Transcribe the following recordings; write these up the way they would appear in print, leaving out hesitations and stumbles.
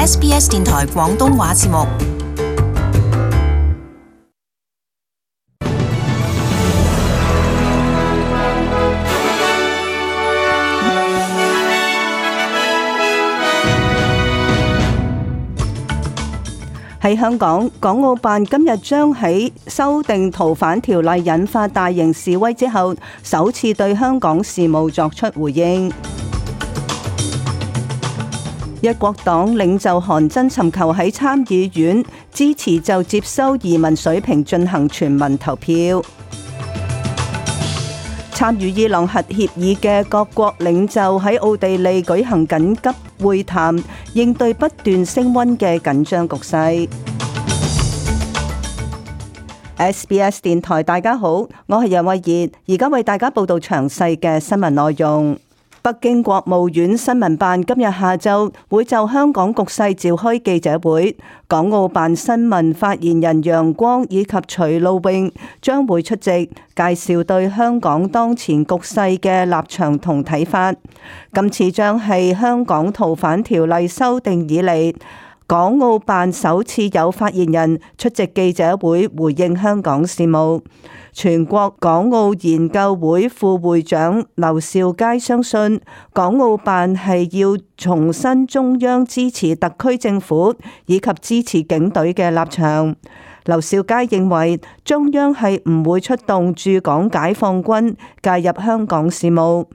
SBS 電台廣東話節目。喺香港，港澳辦今日將喺修訂逃犯條例引發大型示威之後，首次對香港事務作出回應。一國黨領袖韓真尋求喺參議院支持就接收移民水平進行全民投票。參與伊朗核協議嘅各國領袖喺奧地利舉行緊急會談，應對不斷升溫嘅緊張局勢。SBS 電台，大家好，我係楊慧儀，而家為大家報道詳細嘅新聞內容。北京國務院新聞辦今日下晝會就香港局勢召開記者會，港澳辦新聞發言人楊光以及徐露穎將會出席，介紹對香港當前局勢嘅立場同睇法。今次將係香港逃犯條例修訂以嚟，港澳辦首次有發言人出席記者會回應香港事務。全國港澳研究會副會長劉兆佳相信，港澳辦係要重申中央支持特區政府以及支持警隊嘅立場。劉兆佳認為，中央係唔會出動駐港解放軍介入香港事務。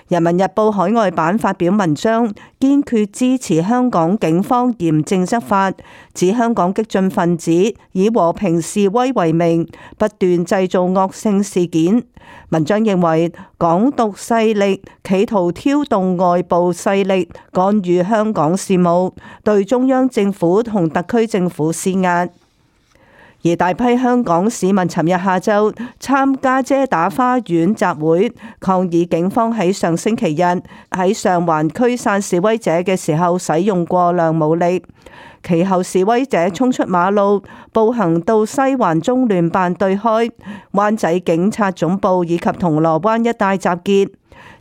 人民日報海外版發表文章，堅決支持香港警方嚴正執法，指香港激進分子以和平示威為名，不斷製造惡性事件。文章認為，港獨勢力企圖挑動外部勢力干預香港事務，對中央政府同特區政府施壓。而大批香港市民尋日下晝參加遮打花園集會，抗議警方喺上星期日喺上環驅散示威者嘅時候使用過量武力。其後示威者衝出馬路，步行到西環中聯辦對開、灣仔警察總部以及銅鑼灣一帶集結。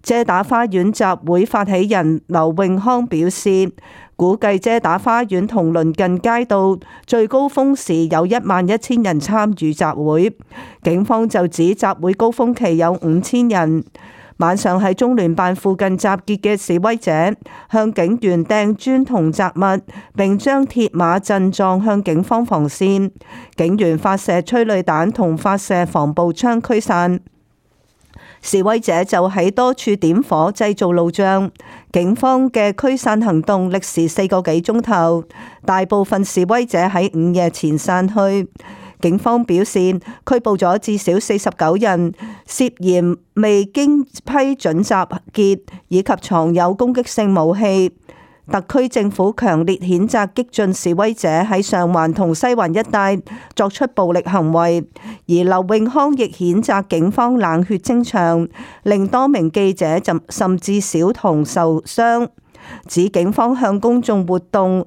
遮打花園集會發起人劉永康表示，估計遮打花園同鄰近街道最高峰時有11000人參與集會，警方就指集會高峰期有5000人。晚上喺中聯辦附近集結嘅示威者向警員掟磚同雜物，並將鐵馬陣撞向警方防線，警員發射催淚彈同發射防暴槍驅散。示威者就喺多處點火製造路障，警方嘅驅散行動歷時4個幾鐘頭，大部分示威者喺午夜前散去。警方表示拘捕咗至少49人，涉嫌未經批准集結以及藏有攻擊性武器。特區政府強烈譴責激進示威者喺上環同西環一帶作出暴力行為，而劉永康亦譴責警方冷血偵場，令多名記者甚至小童受傷，指警方向公眾活動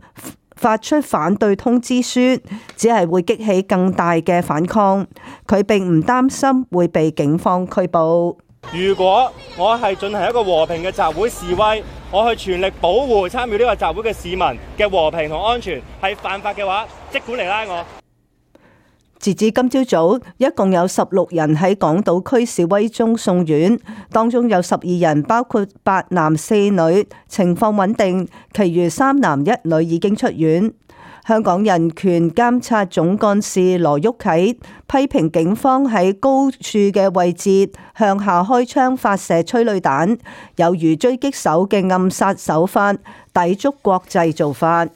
發出反對通知書，只係會激起更大嘅反抗。佢並唔擔心會被警方拘捕。如果我係進行一個和平嘅集會示威，我去全力保護參與呢個集會嘅市民嘅和平同安全，係犯法嘅話，即管嚟拉我。截至今朝早，一共有16人喺港島區示威中送院，當中有12人，包括8男4女，情況穩定，其餘3男1女已經出院。香港人權監察總幹事羅旭啟批評警方喺高處嘅位置向下開槍發射催淚彈，有如狙擊手嘅暗殺手法，抵觸國際做法。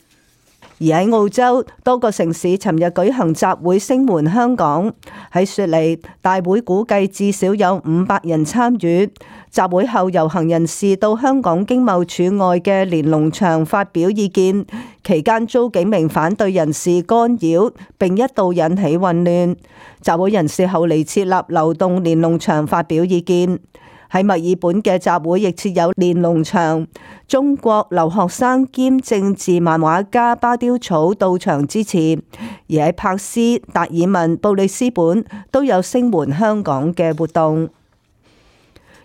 而喺澳洲，多個城市尋日舉行集會聲援香港。喺雪梨，大會估計至少有500人參與。集會後，遊行人士到香港經貿處外嘅連儂牆發表意見，期間遭幾名反對人士干擾，並一度引起混亂。集會人士後嚟設立流動連儂牆發表意見。喺墨爾本嘅集會亦設有連儂牆，中國留學生兼政治漫畫家巴丟草到場支持，而喺珀斯、達爾文、布里斯本都有聲援香港嘅活動。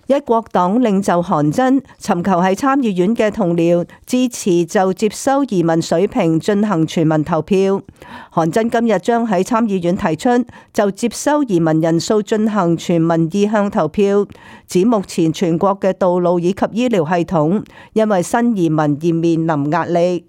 一國黨領袖韓真尋求喺參議院嘅同僚支持就接收移民水平進行全民投票。韓真今日將喺參議院提出就接收移民人數進行全民意向投票，指目前全國嘅道路以及醫療系統因為新移民而面臨壓力。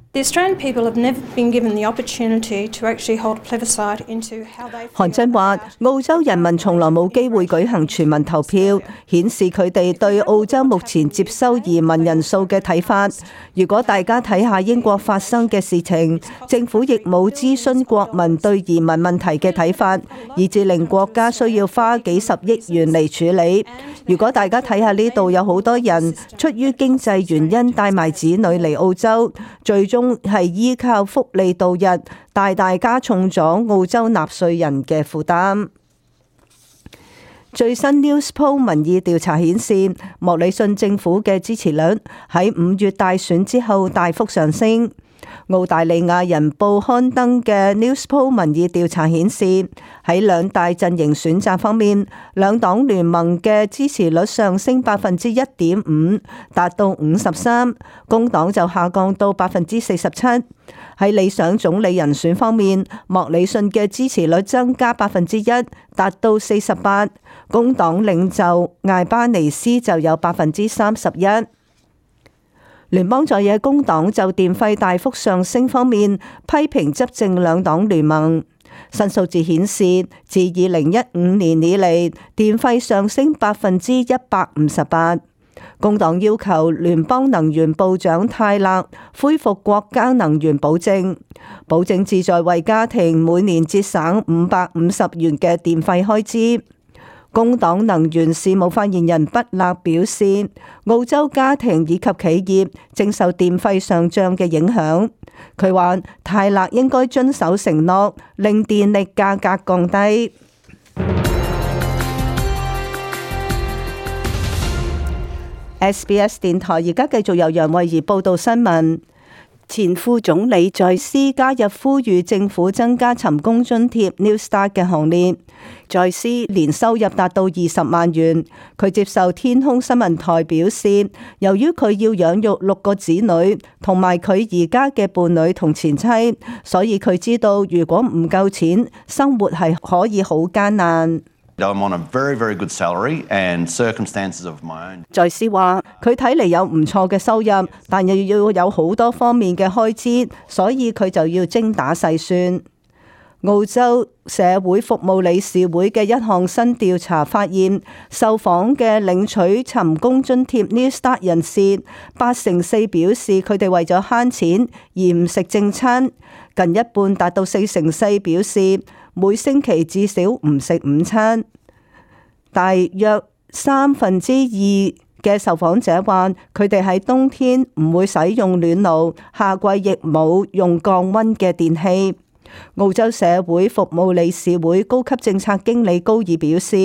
韓真話：澳洲人民從來冇機會舉行全民投票，顯示佢哋對澳洲目前接收移民人數嘅睇法。如果大家睇下英國發生嘅事情，政府亦冇諮詢國民對移民問題嘅睇法，以致令國家需要花幾十億元嚟處理。如果大家睇下呢度有好多人出於經濟原因帶埋子女嚟澳洲，最終係依靠福利度日，大大加重咗澳洲納稅人嘅負擔。最新 Newspoll 民意調查顯示，莫里遜政府嘅支持率喺5月大選之後大幅上升。澳大利亞人報刊登嘅 Newspoll 民意調查顯示，喺兩大陣營選擇方面，兩黨聯盟嘅支持率上升1.5%，達到53%，工黨就下降到47%。喺理想總理人選方面，莫里遜嘅支持率增加1%，達到48%，工黨領袖艾巴尼斯就有31%。聯邦在野工黨就電費大幅上升方面批評執政兩黨聯盟。新數字顯示，自2015年以嚟，電費上升158%。工黨要求聯邦能源部長泰勒恢復國家能源保證，保證旨在為家庭每年節省550元嘅電費開支。工黨能源事務發言人畢勒表示，澳洲家庭以及企業正受電費上漲嘅影響。佢話泰勒應該遵守承諾，令電力價格降低。SBS 電台而家繼續由楊慧儀報道新聞。前副總理在斯加入呼籲政府增加尋工津貼 New Start 嘅行列。在斯年收入達到20萬元，佢接受天空新聞台表示，由於佢要養育6個子女同埋佢而家嘅伴侶同前妻，所以佢知道如果唔夠錢，生活係可以好艱難。在斯話：佢睇嚟有唔錯嘅收入，但又要有好多方面嘅開支，所以佢就要精打細算。澳洲社會服務理事會嘅一項新調查發現，受訪嘅領取尋工津貼 New Start 人士，84%表示佢哋為咗慳錢而唔食正餐，近一半達到4%表示每星期至少唔食午餐。大約2/3嘅受訪者話，佢哋喺冬天唔會使用暖爐，夏季亦冇用降溫嘅電器。澳洲社會服務理事會高級政策經理高爾表示，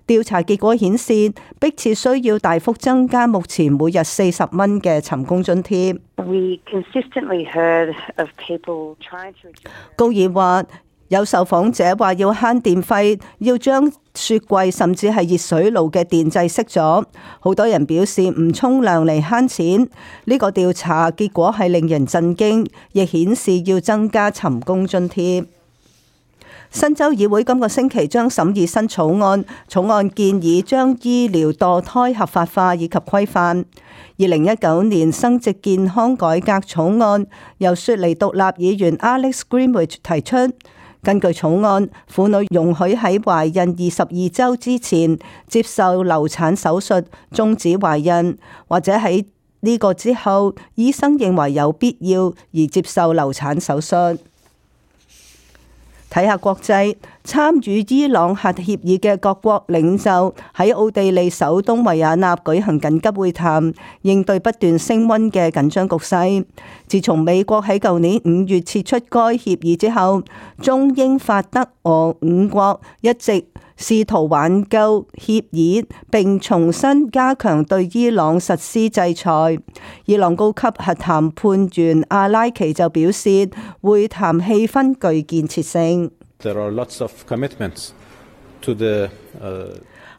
調查結果顯示，迫切需要大幅增加目前每日40蚊嘅尋工津貼。高爾話，有受訪者話要慳電費，要將雪櫃甚至係熱水爐嘅電掣熄咗。好多人表示唔沖涼嚟慳錢。呢個調查結果係令人震驚，亦顯示要增加尋工津貼。新州議會今個星期將審議新草案，草案建議將醫療墮胎合法化以及規範。2019年生殖健康改革草案由雪梨獨立議員 Alex Greenwich 提出。根據草案，婦女容許喺懷孕22週之前接受流產手術終止懷孕，或者喺呢個之後，醫生認為有必要而接受流產手術。睇下國際，參與伊朗核協議嘅各國領袖喺奧地利首都維也納舉行緊急會談，應對不斷升溫嘅緊張局勢。自從美國喺舊年5月撤出該協議之後，中英法德俄5國一直試圖挽救協議，並重新加強對伊朗實施制裁。伊朗高級核談判員阿拉奇就表示，會談氣氛具建設性。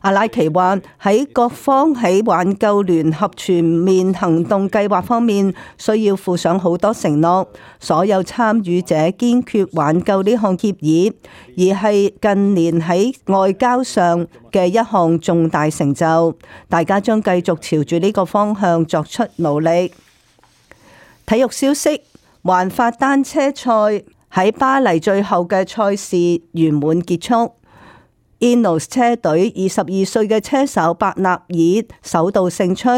阿拉奇話喺各方喺挽救聯合全面行動計劃方面需要負上好多承諾，所有參與者堅決挽救呢項協議，而係近年喺外交上嘅一項重大成就。大家將繼續朝住呢個方向作出努力。體育消息，環法單車賽喺巴黎最後嘅賽事圓滿結束。Ineos 車隊22歲嘅車手伯納爾首度勝出，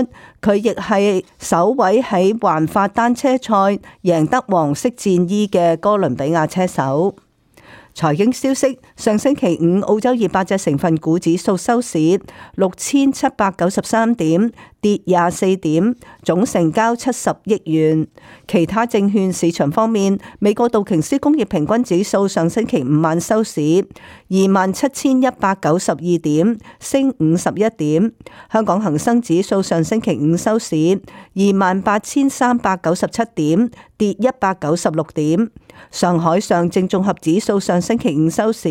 佢亦係首位喺環法單車賽贏得黃色戰衣嘅哥倫比亞車手。財經消息，上星期五澳洲200隻成分股指數收市6793點，跌24點，總成交70億元。其他證券市場方面，美國道瓊斯工業平均指數上星期五晚收市27192點，升51點。香港恒生指數上星期五收市28397點，跌196點。上海上證綜合指數上星期五收市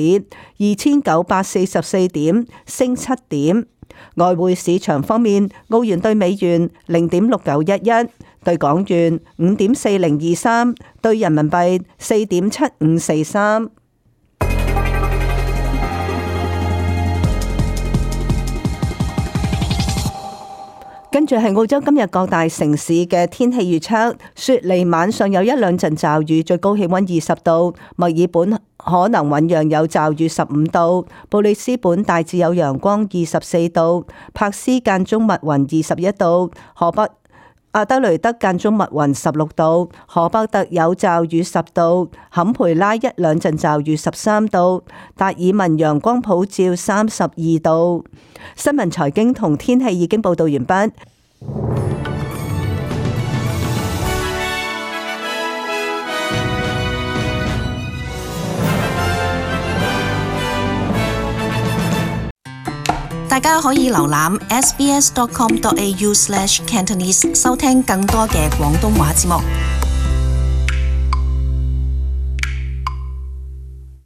2944點，升7點。外匯市場方面，澳元兌美元0.6911，兌港元5.4023，兌人民幣4.7543。跟住係澳洲今日各大城市嘅天氣預測，雪梨晚上有一兩陣驟雨，最高氣溫20度；墨爾本可能醞釀有驟雨15度；布里斯本大致有陽光24度；柏斯間中密雲21度；河北阿德雷德間中密雲16度；荷伯特有驟雨10度；坎培拉一兩陣驟雨13度；達爾文陽光普照32度。新聞財經同天氣已經報道完畢。大家可以瀏覽 sbs.com.au/cantonese 收聽更多嘅廣東話節目。